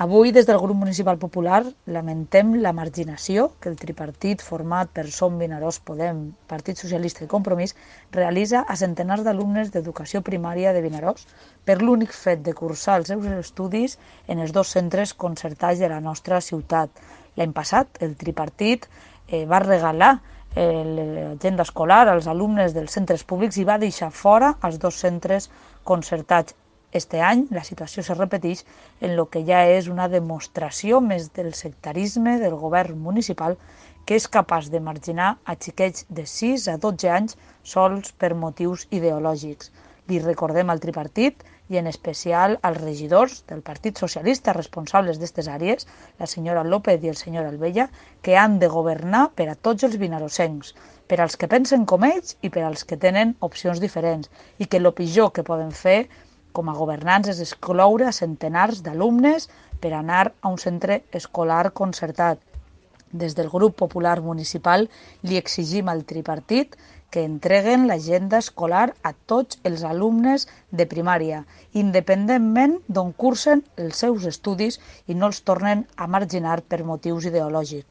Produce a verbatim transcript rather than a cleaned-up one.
Avui, des del grup municipal popular, lamentem la marginació que el tripartit format per Som Vinaròs Podem, Partit Socialista i Compromís realitza a centenars d'alumnes d'educació primària de Vinaròs per l'únic fet de cursar els seus estudis en els dos centres concertats de la nostra ciutat. L'any passat, el tripartit eh, va regalar l'agenda escolar als alumnes dels centres públics i va deixar fora els dos centres concertats. Este any la situació se repeteix en el que ja és una demostració més del sectarisme del govern municipal, que és capaç de marginar a xiquets de sis a dotze anys sols per motius ideològics. Li recordem al tripartit i en especial als regidors del Partit Socialista responsables d'aquestes àrees, la senyora López i el senyor Albella, que han de governar per a tots els vinarossencs, per als que pensen com ells i per als que tenen opcions diferents, i que el pitjor que poden fer com a governants és excloure a centenars d'alumnes per anar a un centre escolar concertat. Des del grup popular municipal li exigim al tripartit que entreguen l'agenda escolar a tots els alumnes de primària, independentment d'on cursen els seus estudis, i no els tornen a marginar per motius ideològics.